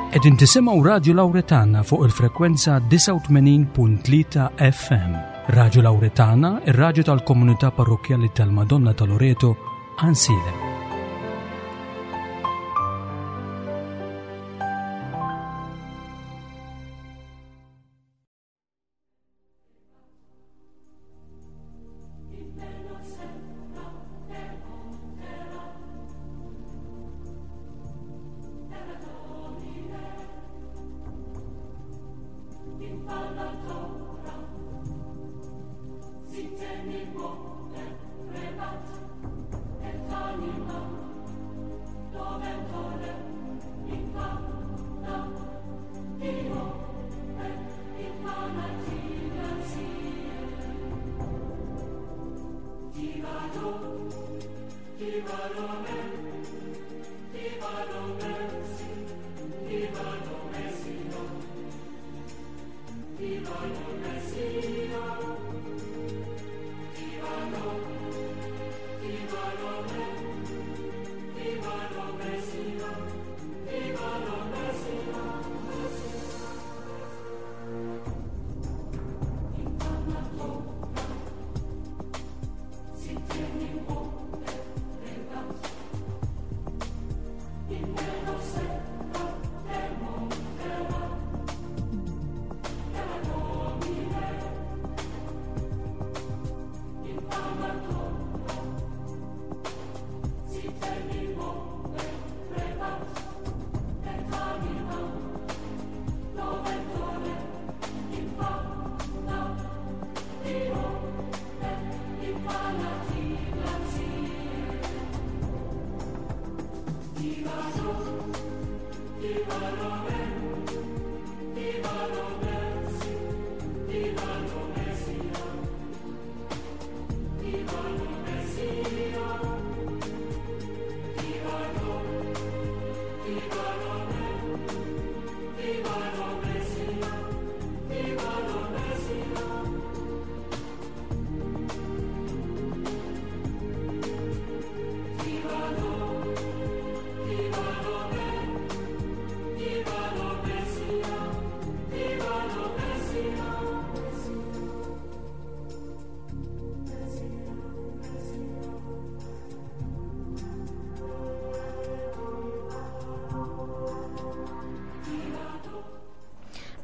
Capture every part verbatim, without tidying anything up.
Qegħdin tisimgħu Radio Lauretana fuq il-frekwenza disgħa u tmenin punt tlieta F M. Radio Lauretana, ir-raġu tal-komunità parrokjali tal-Madonna ta' Loreto, Għajnsielem.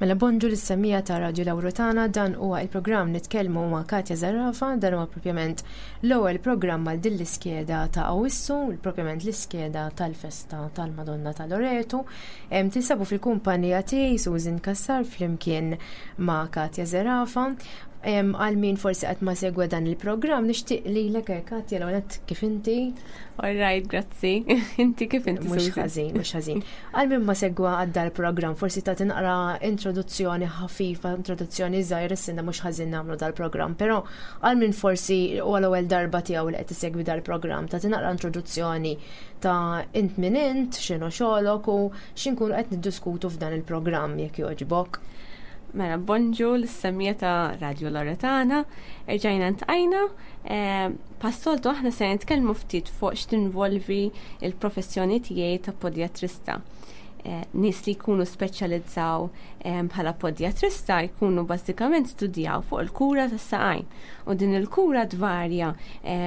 Mela, bonġu lis-semmiegħa ta' Radio Lauretana. Dan huwa il-programm Nitkellmu ma' Katja Zerafa. Dan huwa propjament l-ewwel programm għal din l-iskeda ta' Awissu, propjament l-iskeda tal-festa tal-Madonna ta' Loreto. Tinsabu fil-kumpanija tiegħi, Susan Kassar, flimkien ma' Katja Zerafa. Għal min forsi qatt ma segwa dan il-programm, nixtieq li l Katja, l kif inti? All right, grazzi. Inti kif inti? Mhux ħażin, mhux ħażin. Għal min ma segwa għad dal-programm, forsi ta' tinqra introduzzjoni ħafifa, introduzzjoni żgħira, s-sinna mhux ħażin nagħmlu dal-programm, però għal min forsi u għal-ewwel darba tiegħu li qed isegwi dal-programm, ta' tinqra introduzzjoni ta' int min int, x'inhu xogħlok u x'inkunu qed niddiskutu f'dan il-programm, jekk jogħġbok. Mela, bonġu lis-semmiegħa ta' Radio Loretana, erġajna ltqajna. Eh, bħas-soltu aħna se nitkellmu ftit fuq x'tinvolvi il-professjoni tiegħi ta' podjatrista. Eh, nies li jkunu speċjalizzaw eh, bħala podjatrista jkunu bażikament studjaw fuq il-kura tas-saqajn. U din il-kura tvarja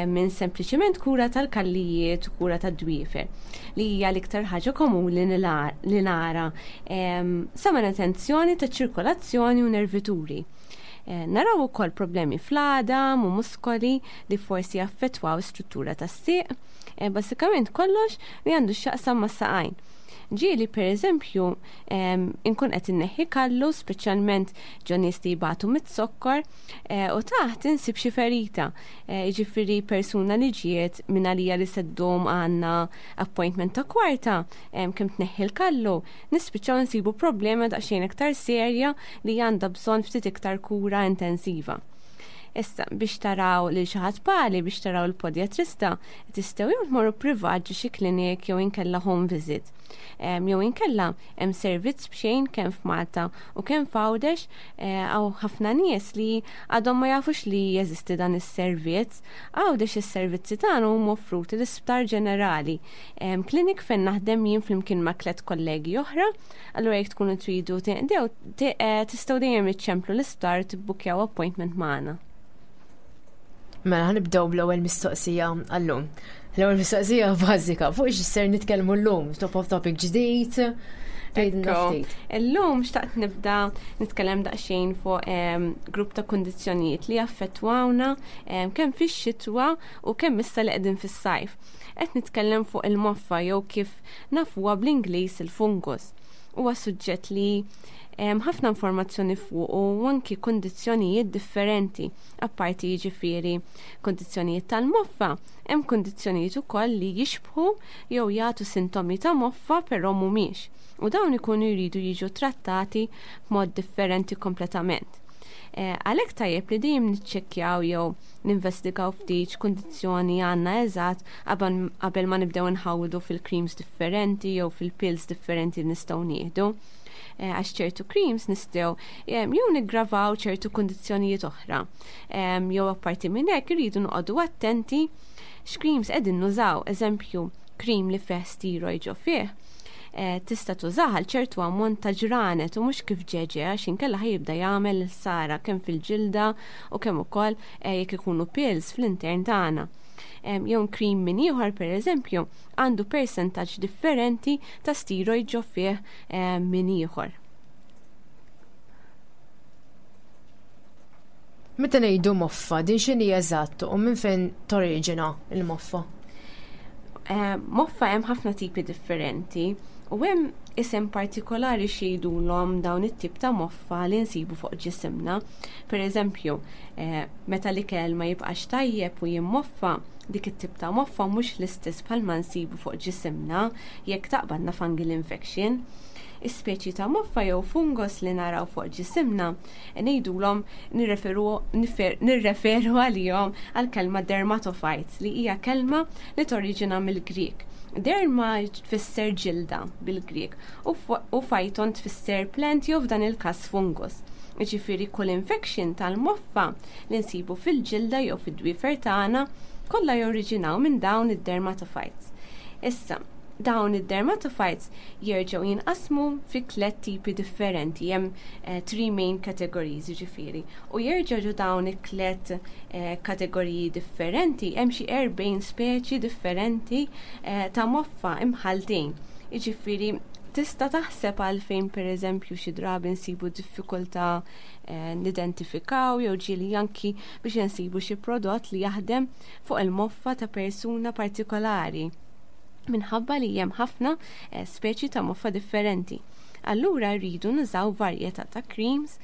minn sempliċiment kura tal-kallijiet u kura tad-dwiefer, li hija l-iktar ħaġa komuni li nara, sa manutenzjoni ta' ċirkolazzjoni u nervituri. Eh, naraw ukoll problemi fl-għadam u muskoli li forsi jaffettwaw struttura tas-sieq, eh, basikament kollox li għandu x'jaqsam ma' saqajn. Ġieli, per eżempju, inkun qed inneħħi kallu, speċjalment ġo nies li jbatu mit-sokkor, eh, u taħt insib xi ferita. Jiġifieri persuna li ġiet minn għalija li se ddum għandna appointment ta' kwarta, kemm tneħħi l-kallu, nispiċċaw nsibu problema daqsxejn iktar serja li għandha bżonn ftit iktar kura intensiva. Issa biex taraw lil xi ħadd pali biex taraw il-podjatrista, tistgħu jew tmorru privat ġo xi klinik jew inkella home visit. Jew inkella hemm servizz b'xejn kemm f'Malta u kemm f'Għawdex hawn ħafna nies li għadhom ma jafux li jeżisti dan is-servizz. Għawdex is-servizzi tagħna huma offruti l-Isptar Ġenerali. Klinik fejn naħdem jien flimkien ma' tliet kollegi oħra, allura jekk tkunu tridu tinqdew tistgħu dejjem iċċemplu l-isptar tibbukjaw appointment magħna. Mela ħa nibdew bl-ewwel mistoqsija għallum. L-ewwel mistoqsija bażika, fuq x'ser nitkellmu llum, top of topic ġdid. Illum xtaqt nibda nitkellem daqsxejn fuq grupp ta' kundizzjonijiet li jaffettwawna kemm fix-xitwa u kemm issa li qegħdin fis-sajf. Qed nitkellem fuq il-moffa jew kif nafuha bl-Ingliż il-fungus. Huwa suġġett li ħafna informazzjoni fuq u anki kundizzjonijiet differenti. Apparti jiġifieri kundizzjonijiet tal-moffa, hemm kundizzjonijiet ukoll li jixbħu jew jagħtu sintomi ta' moffa però mhumiex. U dawn ikunu jridu jiġu trattati b'mod differenti kompletament. Għalhekk tajjeb li dejjem niċċekkjaw jew ninvestigaw ftit x'kundizzjoni għandna eżatt qabel ma nibdew nħawdu fil-creams differenti jew fil-pills differenti li nistgħu nieħdu. Għax ċertu creams nistgħu jew niggravaw ċertu kundizzjonijiet oħra. Jew apparti minn hekk irridu noqogħdu attenti x'creams qegħdin nużaw, eżempju, cream li fih steroid ġo fih. Tista' tużaha għal ċertu ammont ta' ġranet u mhux kif ġeġe għax inkella ħajibda jagħmel sara kemm fil-ġilda u kemm ukoll jekk ikunu pills fl-intern tagħna. Jew cream minn ieħor pereżempju għandu persentaġġ differenti ta' steroid ġo fih minn ieħor. Meta ngħidu moffa, din x'inhi eżatt u minn fejn toriġina il-moffa? Moffa hemm ħafna tipi differenti u hemm isem partikolari xejdulhom dawn it-tip ta' moffa li nsibu fuq ġisimna. Per eżempju, meta l-ikel ma jibqax tajjeb u jimmoffa, dik it-tip ta' moffa mhux l-istess bħalma nsibu fuq ġisimna jekk taqbadna fungal infection. Is-speċi ta' moffa jew fungos li naraw fuq ġisimna ngħidulhom nirreferu għalihom għal kelma dermatophytes li hija kelma li toriġina mill-Grieg. Derma tfisser ġilda bil-Grieg u phyton tfisser plant jew f'dan il-każ fungus. Jiġifieri kull infection tal-moffa li nsibu fil-ġilda jew fid-dwiefer tagħna kollha joriġinaw minn dawn id-dermatophytes. Issa, dawn id-dermatophytes jerġgħu jinqasmu fi tliet tipi differenti, hemm three main categories jiġifieri. U jerġgħu dawn it-tliet kategoriji differenti hemm xi erbgħin speċi differenti ta' moffa imħaltin. Jiġifieri tista' taħseb għalfejn pereżempju xi drabi nsibu diffikultà nidentifikaw jew ġieli anki biex insibu xi prodott li jaħdem fuq il-moffa ta' persuna partikolari minħabba li hemm ħafna speċi ta' moffa differenti. Allura rridu nużaw varjetà ta' creams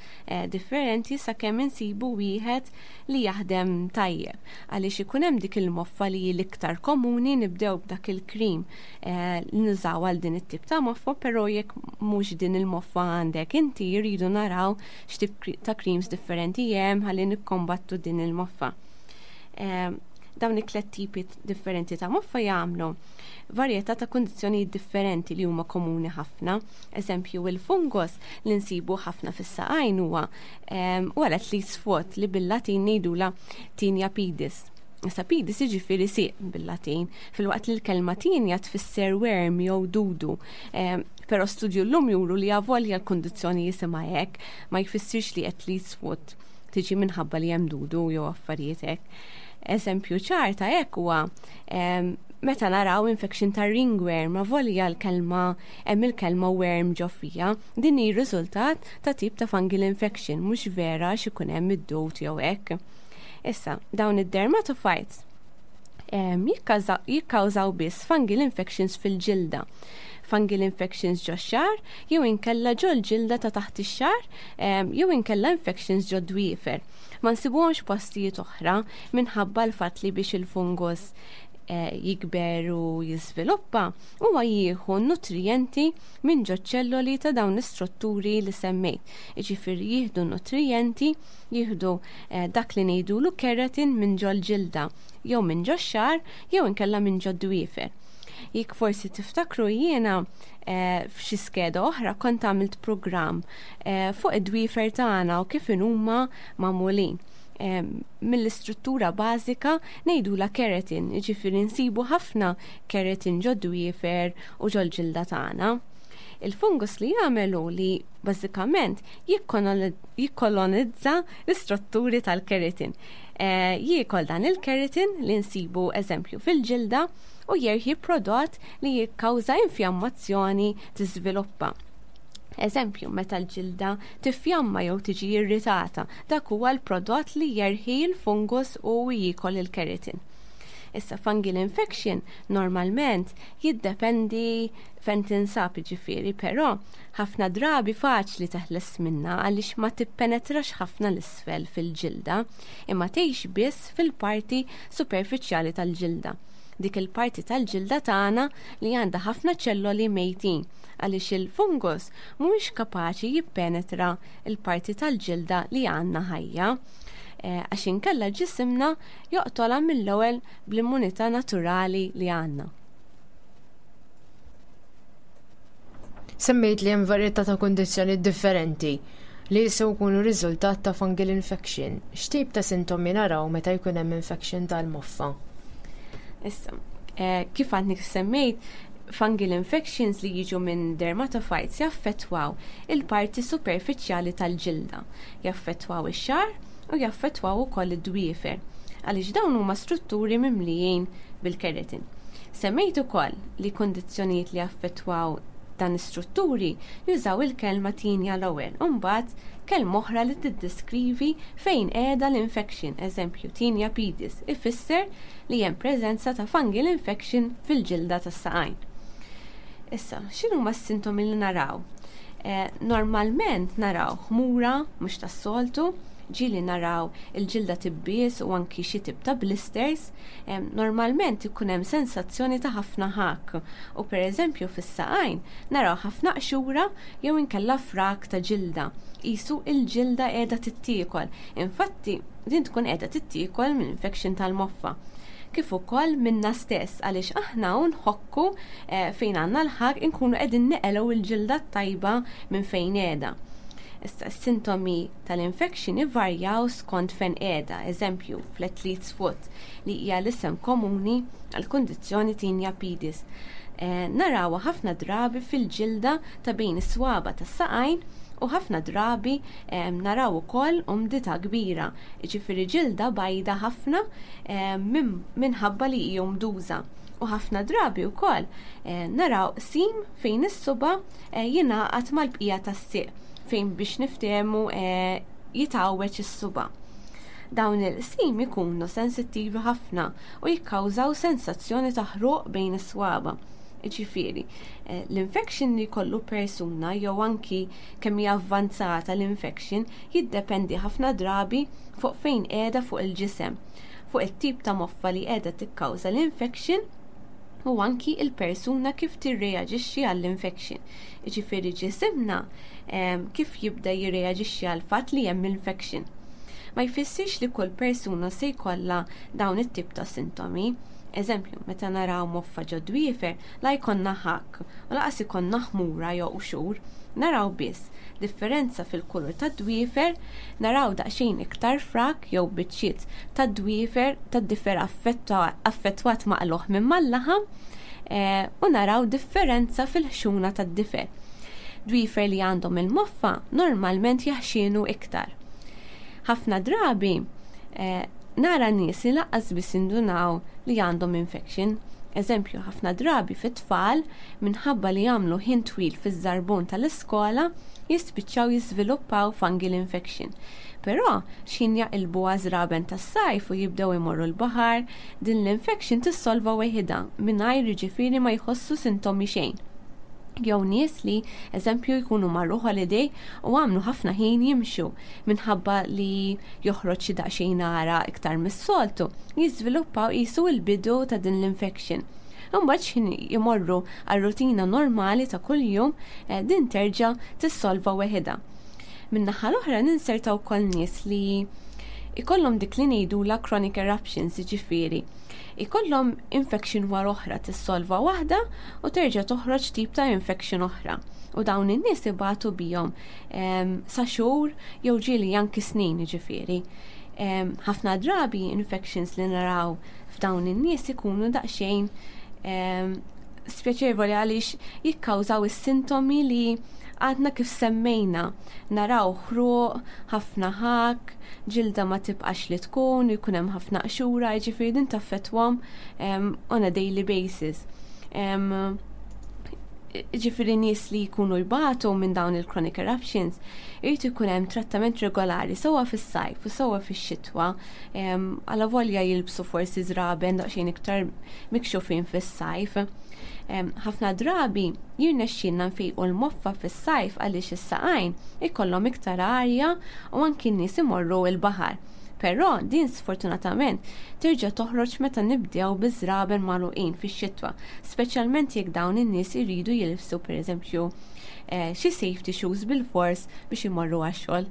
differenti sakemm insibu wieħed li jaħdem tajjeb. Għaliex ikun hemm dik il-moffa li hi l-iktar komuni nibdew b'dak il-cream li nużaw għal din it-tip ta' moffa, però jekk mhux din il-moffa għandek inti rridu naraw x'tip ta' creams differenti hemm ħalli nikkombattu din il-moffa. Dawn it-tliet tipi differenti ta' moffa jagħmlu varjetà ta' kundizzjonijiet differenti li huma komuni ħafna. Eżempju, il-fungos li nsibu ħafna fis-saqajn huwa huwa l-athlete's foot li bil-Latin ngħidulha tinea pedis. Issa pedis jiġifieri sieq bil-Latin, filwaqt li l-kelma tinea tfisser worm jew dudu. Però studju llum juru li avolja l-kundizzjoni jisimha hekk, ma jfissirx li athlete's foot tiġi minħabba li hemm dudu jew affarijiet hekk. Eżempju ċar ta' hekk huwa meta naraw infection ta' ringworm, avolja l-kelma hemm il-kelma worm ġo fija, din hi riżultat ta' tip ta' fungal infection, mhux vera xi jkun hemm id-dud jew hekk. Issa, dawn id-dermatophytes jikkawżaw biss fungal infections fil-ġilda. Fungal infections ġo xagħar, jew inkella ġo l-ġilda ta' taħt ix-xagħar, jew inkella infections ġo dwiefer. Ma nsibuhomx postijiet oħra minħabba l-fatt li biex il-fungus eh, jikber u jiżviluppa, huwa jieħu nutrijenti minn ġo ċelloli ta' dawn l-istrutturi li semmejt. Jiġifieri jieħdu nutrijenti, jieħdu eh, dak li ngħidulu keratin minn ġol-ġilda, jew minn ġox-xagħar, jew inkella minn ġod-dwiefer. Jekk forsi tiftakru, jiena eh, f'xi skeda oħra kont għamilt programm eh, fuq id-dwiefer tagħna u kif huma magħmulin. Eh, mill-istruttura bażika ngħidula keratin, jiġifieri nsibu ħafna keratin ġod-dwiefer u ġol-ġilda tagħna. Il-fungus li jagħmlu li bażikament jikkolonizza l-istrutturi tal-keratin. Eh, jiekol dan il-keratin li nsibu, eżempju, fil-ġilda u jerħi prodott li jikkawża infjammazzjoni tiżviluppa. Eżempju, meta l-ġilda tifjamma jew tiġi irritata, dak huwa l-prodott li jerħi l-fungus u jiekol il-keratin. Issa, fungal infection normalment jiddependi fejn tinsab, ġifieri, però ħafna drabi faċli teħles minna għaliex ma tippenetrax ħafna 'l isfel fil-ġilda, imma tgħix biss fil-parti superfiċjali tal-ġilda. Dik il-parti tal-ġilda tagħna li għandha ħafna ċelloli mejtin, għaliex il-fungus mhuwiex kapaċi jippenetra il-parti tal-ġilda li għandna ħajja. Eh, għax inkella ġisimna joqtolha mill-ewwel bl-immunità naturali li għandna. Semmejt li hemm varjetà ta' kundizzjoni differenti li jistgħu jkunu riżultat ta' fungal infection. X'tip ta' sintomi naraw meta jkun hemm infection tal-moffa? Issa, eh, kif għadni semmejt, fungal infections li jiġu minn dermatophytes jaffettwaw il-parti superfiċjali tal-ġilda, jaffettwaw ix-xagħar u jaffettwaw ukoll id-dwiefer, għaliex dawn huma strutturi mimlijin bil-keratin. Semmejt ukoll li kundizzjonijiet li jaffettwaw dan is-strutturi jużaw il-kelma tinea l-ewwel, u mbagħad kelma oħra li tiddeskrivi fejn qiegħda l-infection, eżempju tinea pedis, ifisser li hemm preżenza ta' fungal infection fil-ġilda tas-saqajn. Issa, x'inhuma s-sintomi li naraw? Eh, normalment naraw ħmura mhux tas-soltu, ġieli naraw il-ġilda tibbies u anki xi tip ta' blisters. Em, normalment ikun hemm sensazzjoni ta' ħafna ħak u pereżempju fis-saqajn naraw ħafna qxura jew inkella frak ta' ġilda. Qisu il-ġilda qiegħda tittiekel. Infatti din tkun qiegħda tittiekol minn infection tal-moffa. Kif ukoll minna stess, għaliex aħna nħokku, eh, fejn għandna l-ħak inkunu qegħdin neqelgħu il-ġilda tajba minn fejn qiegħda. Issa, s-sintomi tal-infection ivarjaw skont fejn qiegħda, eżempju fl-athlete's foot, li hija l-isem komuni għal kundizzjoni tinea pedis. Eh, narawha ħafna drabi fil-ġilda ta' bejn is-swaba tas-saqajn u ħafna drabi, eh, naraw ukoll umdità kbira, jiġifieri ġilda bajda ħafna, eh, min-, minħabba li hi umduża. U ħafna drabi wkoll, eh, naraw sim fejn is-suba, eh, jingħaqad mal-bqija tas-sieq, fejn biex niftehmu, eh, jitgħawweġ is-suba. Dawn il-sim ikunu sensittivi ħafna u jikkawżaw sensazzjoni ta' ħruq bejn is-swaba. Ġifieri, eh, l-infection li jkollu persuna jew anki kemm hija avvanzata l-infection jiddependi ħafna drabi fuq fejn qiegħda fuq il-ġisem, fuq it-tip ta' moffa li qiegħda tikkawża l-infection u anki il-persuna kif tirreaġixxi għall-infection. Ġifieri ġisimna, em, kif jibda jirreaġixxi għall-fatt li hemm infection. Ma jfissirx li kull persuna se jkollha dawn it-tip ta' sintomi. Eżempju, meta naraw moffa ġo dwiefer, la jkollna ħakk u lanqas ikollna ħmura jew qxur, naraw biss differenza fil-kulur ta' dwiefer, naraw daqsxejn iktar frak jew biċċiet ta' dwiefer ta' difer affetta-, affettwat maqluħ minn mal-laħam, eh, u naraw differenza fil-ħxuna ta' difer. Dwiefer li għandhom il-moffa normalment jaħxinu iktar. Ħafna drabi, eh, nara nies li lanqas biss indunaw li għandhom infection. Eżempju, ħafna drabi fit-tfal minħabba li jagħmlu ħin twil fiż-żarbun tal-iskola jispiċċaw jiżviluppaw fungal infection. Però x'ħin jaqilbu għaż-żraben tas-sajf u jibdew imorru l-baħar, din l-infection tissolva weħidha mingħajr jiġifieri ma jħossu sintomi xejn. Jew nies li, eżempju, jkunu marru holiday u għamlu ħafna ħin jimxu, minħabba li joħroġ xi daqsxejn għaraq iktar mis-soltu, jiżviluppaw qisu l-bidu ta' din l-infection. Imbagħad x'ħin jmorru għar-rutina normali ta' kuljum, eh, din terġa' tissolva weħidha. Min-naħa l-oħra ninsertaw ukoll nies li ikollhom dik li ngħidula chronic eruptions, jiġifieri ikollhom infection wara oħra, tissolva waħda u terġa' toħroġ tip ta' infection oħra. U dawn in-nies ibatu bihom sa xhur jew ġieli anki snin, ġifieri. Ħafna drabi infections li naraw f'dawn in-nies ikunu daqsxejn spjaċevoli għaliex jikkawżaw is-sintomi li għadna kif semmejna. Naraw ħruq, ħafna ħak, ġilda ma tibqax li tkun, jkun hemm ħafna qxura, jiġifieri din taffettwahom on a daily basis. Ġifieri nies li jkunu jbatu minn dawn il-chronic eruptions, irid ikun hemm trattament regolari sewwa fis-sajf u sewwa fix-xitwa, għala volja jilbsu forsi żraben daqsxejn iktar mikxufin fis-sajf. Ħafna drabi jirnexxilna nfejqu l-moffa fis-sajf għaliex is-saqajn ikollhom iktar arja u anki n-nies imorru l-baħar. Però din sfortunatament terġa' toħroġ meta nibdew biż-żraben magħluqin fix-xitwa, speċjalment jekk dawn in-nies iridu jilbsu, pereżempju, eh, xi safety shoes bil-fors biex imorru għax-xogħol.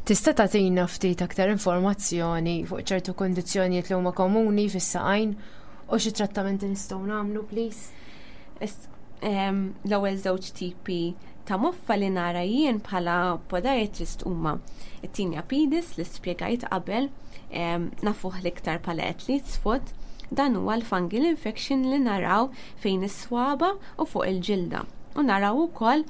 Tista' tagħtina ftit aktar informazzjoni fuq ċertu kundizzjonijiet li huma komuni fis-saqajn u xi trattamenti nistgħu nagħmlu, please? L-ewwel żewġ tipi ta' moffa li nara jien bħala podiatrist huma it-tinea pedis li spjegajt qabel, nafuh l-iktar bħala athlete's foot. Dan huwa l-fungal infection li naraw fejn is-swaba u fuq il-ġilda. U naraw ukoll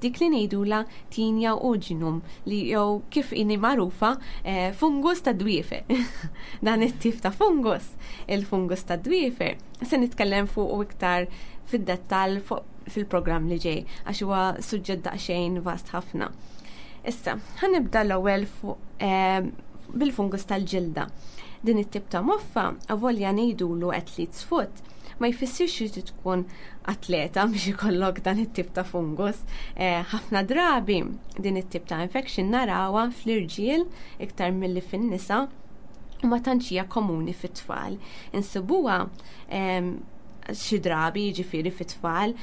dik li ngħidula tinea unguium, li jew kif inhi magħrufa eh, fungus ta' dwiefer. Dan it-tip ta' fungus, il-fungus ta' dwiefer, se nitkellem fuq iktar fid-dettall fil-programm li ġej, għax huwa suġġett daqsxejn vast ħafna. Issa, ħa nibda l-ewwel bil-fungus tal-ġilda. Din it-tip ta' moffa, avolja ngħidulu athlete's foot, ma jfissirx li tkun atleta biex ikollok dan it-tip ta' fungus. Eh, ħafna drabi din it-tip ta' infection narawha fl-irġiel iktar milli fin-nisa u ma tantx hija komuni fit-tfal. Insibuha xi drabi, jiġifieri, fit-tfal,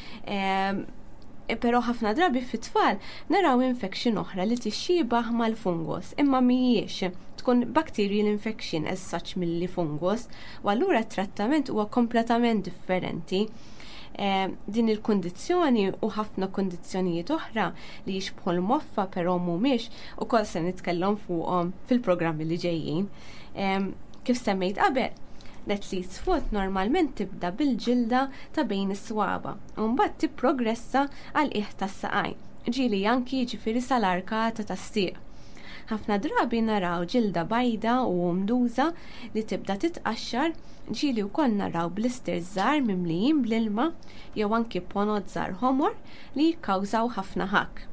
però ħafna drabi fit-tfal naraw infection oħra li tixxiebaħ mal-fungus, imma mhijiex, tkun bacterial infection as such milli fungus, u allura t-trattament huwa kompletament differenti. Din il-kondizzjoni u ħafna kondizzjonijiet oħra li jixbħu l-moffa però mhumiex, ukoll se nitkellem fuqhom fil-programmi li ġejjin. Kif semmejt qabel, l-athlete's foot normalment tibda bil-ġilda ta' bejn is-swaba u mbagħad tipprogressa għal qiegħ tas-saqajn, ġieli anki, jiġifieri, sal-arkata tas-sieq. Ħafna drabi naraw ġilda bajda u mduża li tibda titqaxxar, ġieli wkoll naraw blisters żgħar mimlijin bl-ilma jew anki ponot żgħar ħomor li jikkawżaw ħafna ħakk.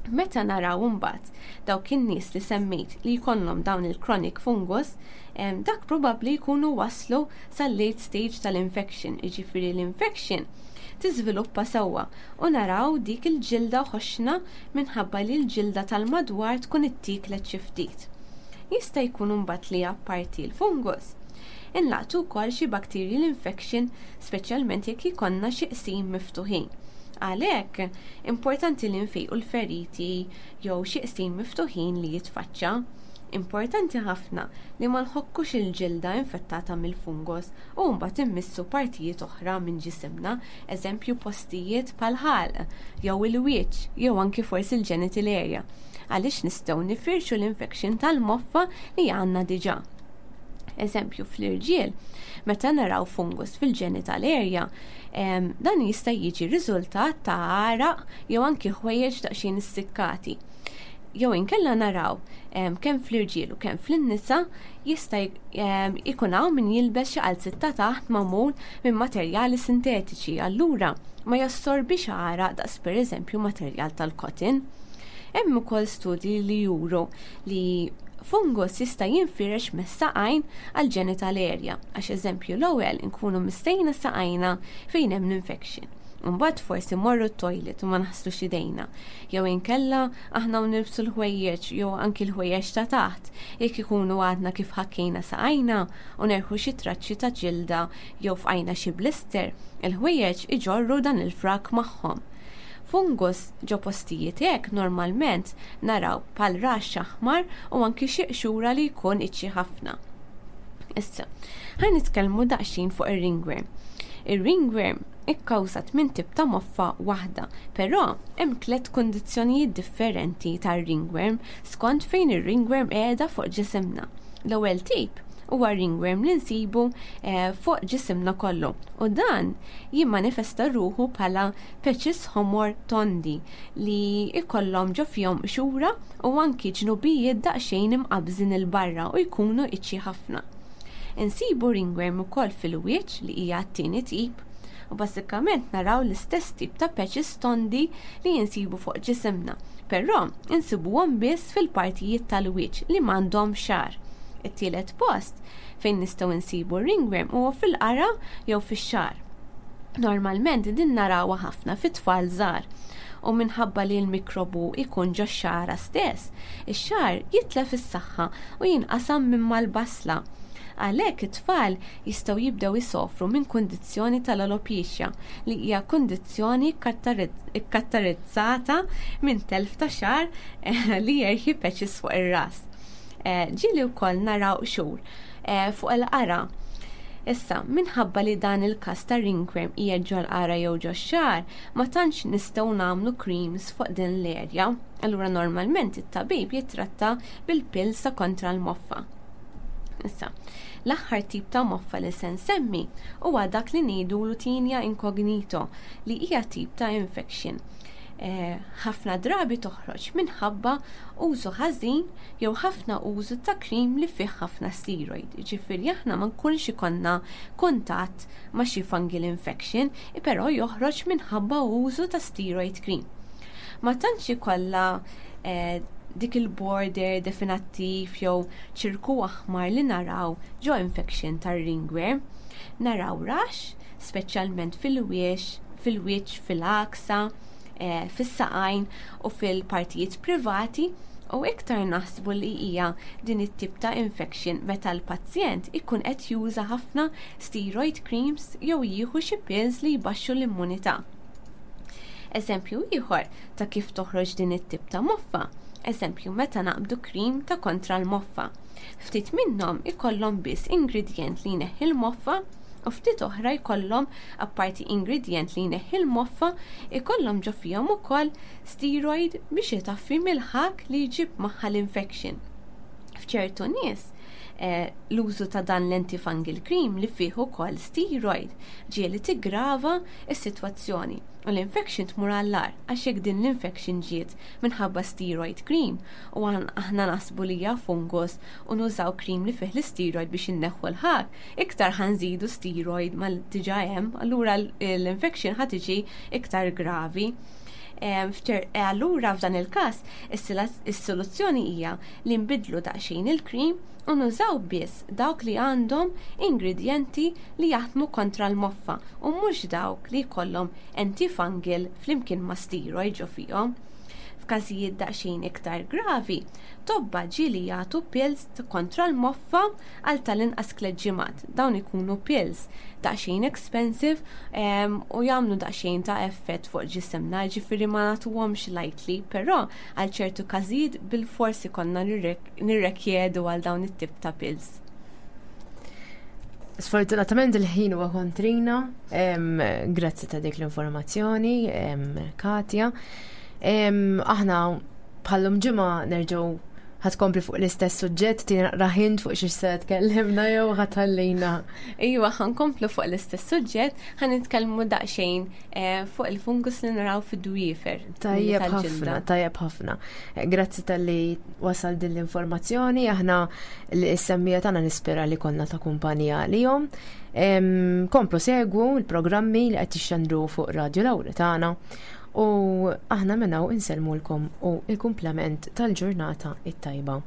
Meta naraw imbagħad dawk in-nies li semmejt li jkollhom dawn il-chronic fungus, dak probabbli jkunu waslu sal-late stage tal-infection, jiġifieri l-infection tiżviluppa sewwa u naraw dik il-ġilda ħoxna minħabba li l-ġilda tal-madwar tkun ittiklet xi ftit. Jista' jkun imbagħad li apparti l-fungus inlaqtu wkoll xi bacterial infection, speċjalment jekk ikollna xi qsim miftuħin. Għalhekk importanti li nfejqu l-feriti jew xi qsim miftuħin li jitfaċċa. Importanti ħafna li ma nħokkux il-ġilda infettata mill-fungus u mbagħad immissu partijiet oħra minn ġisimna, eżempju postijiet bħal-ħalq jew il-wiċċ jew anki forsi l-genital area, għaliex nistgħu nifirxu l-infection tal-moffa li għandna diġà. Eżempju, fl-irġiel, meta naraw fungus fil-genital area, dan jista' jiġi riżultat ta' għaraq jew anki ħwejjeġ daqsxejn issikkati. Jew inkella naraw kemm fl-irġiel u kemm fl-nisa jista' ikun hawn min jilbes xi qalziet ta' taħt magħmul minn materjali sintetiċi, allura ma jassorbix għaraq daqs pereżempju materjal tal-cotton. Hemm ukoll studji li juru li Fungus jista' jinfirex mis-saqajn għal genital area, għax eżempju l-ewwel inkunu missejna saqajna fejn hemm l-infection. Mbagħad forsi morru t-toilet u ma naħslux idejna. Jew inkella aħna nilbsu l-ħwejjeġ jew anki l-ħwejjeġ ta' taħt jekk ikunu għadna kif ħakkejna saqajna u nerħu xi traċċi ta' ġilda jew fqajna xi blister, il-ħwejjeġ iġorru dan il-frak magħhom. Fungus ġo postijiet hekk normalment naraw bħal raxx aħmar u anki xi qxura li jkun itchy ħafna. Issa, ħa nitkellmu daqsxejn fuq ir-ringworm. Ir-ringworm ikkawżat minn tip ta' moffa waħda, però hemm tliet kundizzjonijiet differenti tar-ringworm skont fejn ir-ringworm qiegħda fuq ġisimna. L-ewwel tip huwa ringworm li nsibu eh, fuq ġisimna kollu u dan jimmanifesta ruħu bħala patches ħomor tondi li ikollhom ġo fihom qxura u anki ġnubijiet daqsxejn imqabżin 'il barra u jkunu itchy ħafna. Insibu ringworm ukoll fil-wiċċ li hija t-tieni tip u bażikament naraw l-istess tip ta' patches tondi li jinsibu fuq ġisimna, però insibuhom biss fil-partijiet tal-wiċċ li m'għandhom xagħar. It-tielet post fejn nistgħu nsibu ringworm huwa fil-qara jew fix-xagħar. Normalment din narawha ħafna fit-tfal żgħar u minħabba li l-mikrobu ikun ġo xara stess, ix-xagħar jitlef is-saħħa u jinqasam minn mal-basla. Għalhekk it-tfal jistgħu jibdew isofru minn kundizzjoni tal-alopecia li hija kundizzjoni ikkaratterizzata minn telf ta' xagħar eh, li jerħi patches fuq ir-ras. Eh, ġieli wkoll naraw qxur eh, fuq il-qara. Issa, minħabba li dan il-kas ta' ringworm hija ġol qara jew ġo xagħar, ma tantx nistgħu nagħmlu creams fuq din l-area. Allura normalment it-tabib jitratta bil-pills ta' kontra l-moffa. Issa, l-aħħar tip ta' moffa li se nsemmi huwa dak li ngħidu tinea incognito li hija tip ta' infection. Eh, ħafna drabi toħroġ minħabba użu ħażin jew ħafna użu ta' cream li fih ħafna steroid. Ġifieri aħna ma nkunx ikollna kuntatt ma' xi fungal infection, però joħroġ minħabba użu ta' steroid cream. Ma tantx ikollha eh, dik il-border definattiv jew ċirku aħmar li naraw ġo infection tar-ringworm. Naraw rash, speċjalment fil-wiex, fil-wiċċ, fil-għaksa, eh, fis-saqajn u fil-partijiet privati u iktar naħsbu li hija din it-tip ta' infection meta l-pazjent ikun qed juża ħafna steroid creams jew jieħu xi pills li jbaxxu l-immunità. Eżempju ieħor ta' kif toħroġ din it-tip ta' moffa. Eżempju meta naqbdu cream ta' kontra l-moffa. Ftit minnhom ikollhom biss ingredient li jneħħi l-moffa u ftit oħra jkollhom apparti ingredient li jneħħi l-moffa ikollhom ġo fihom ukoll steroid biex itaffi mill-ħak li jġib magħha l-infection. F'ċertu nies eh, l-użu ta' dan l-antifungal cream li fih ukoll steroid ġieli tigrava s-sitwazzjoni u l-infection tmur għall-agħar għax jekk din l-infection ġiet minħabba steroid cream u aħna naħsbu li hija fungus u nużaw cream li fih l-steroid biex inneħħu l-ħak, iktar ħa nżidu steroid ma diġà hemm, allura l-infection ħa tiġi iktar gravi. Allura f'dan il-każ is-soluzzjoni hija li nbidlu daqsxejn il-cream u nużaw biss dawk li għandhom ingredienti li jaħdmu kontra l-moffa u mhux dawk li jkollhom antifungal flimkien ma' steroid ġo fihom. F'każijiet daqsxejn iktar gravi, tobba ġieli jagħtu pills kontra l-moffa għal tal-inqas tliet ġimgħat. Dawn ikunu pills daqsxejn expensive u jagħmlu daqsxejn ta' effett fuq ġisimna, ġifieri ma nagħtuhomx lightly, però għal ċertu każijiet bil-forsi konna nirrekjedu għal dawn it-tip ta' pills. Sfortunatament il-ħin huwa kontrina, grazzi ta' dik l-informazzjoni, Katja. Aħna bħal-lum ġimgħa nerġgħu ħa tkompli fuq l-istess suġġett, tina hint fuq xiex se tkellimna jew ħa tħallina. Iva, ħa nkomplu fuq l-istess suġġett, ħa nitkellmu daqsxejn eh, fuq il-fungus li naraw fid-dwiefer. Tajjeb ħafna, tajjeb ħafna. Eh, grazzi talli wasal din l-informazzjoni, aħna l-semmiegħa tagħna nispera li konna ta' kumpanija lilhom. Komplu segwu l-programmi li qed jixxandru fuq Radio Lauretana u aħna minn hawn insellmulkom u il-kumplament tal-ġurnata it-tajba.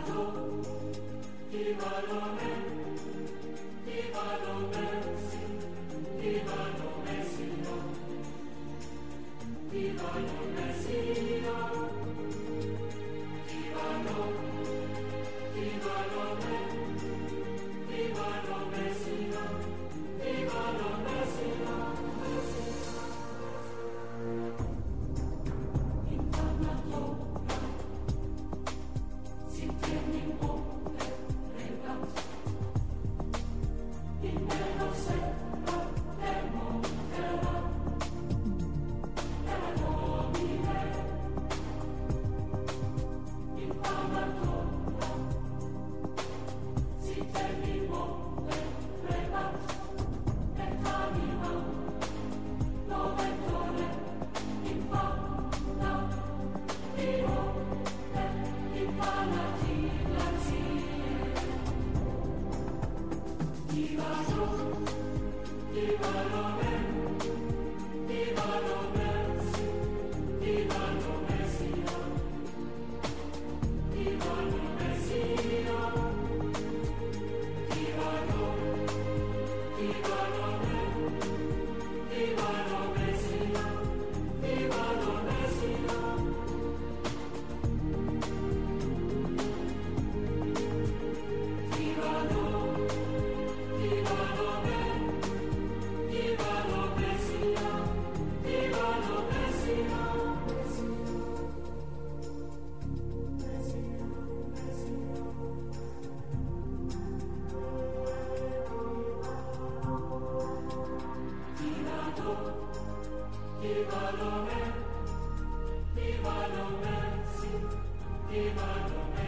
Viva Viva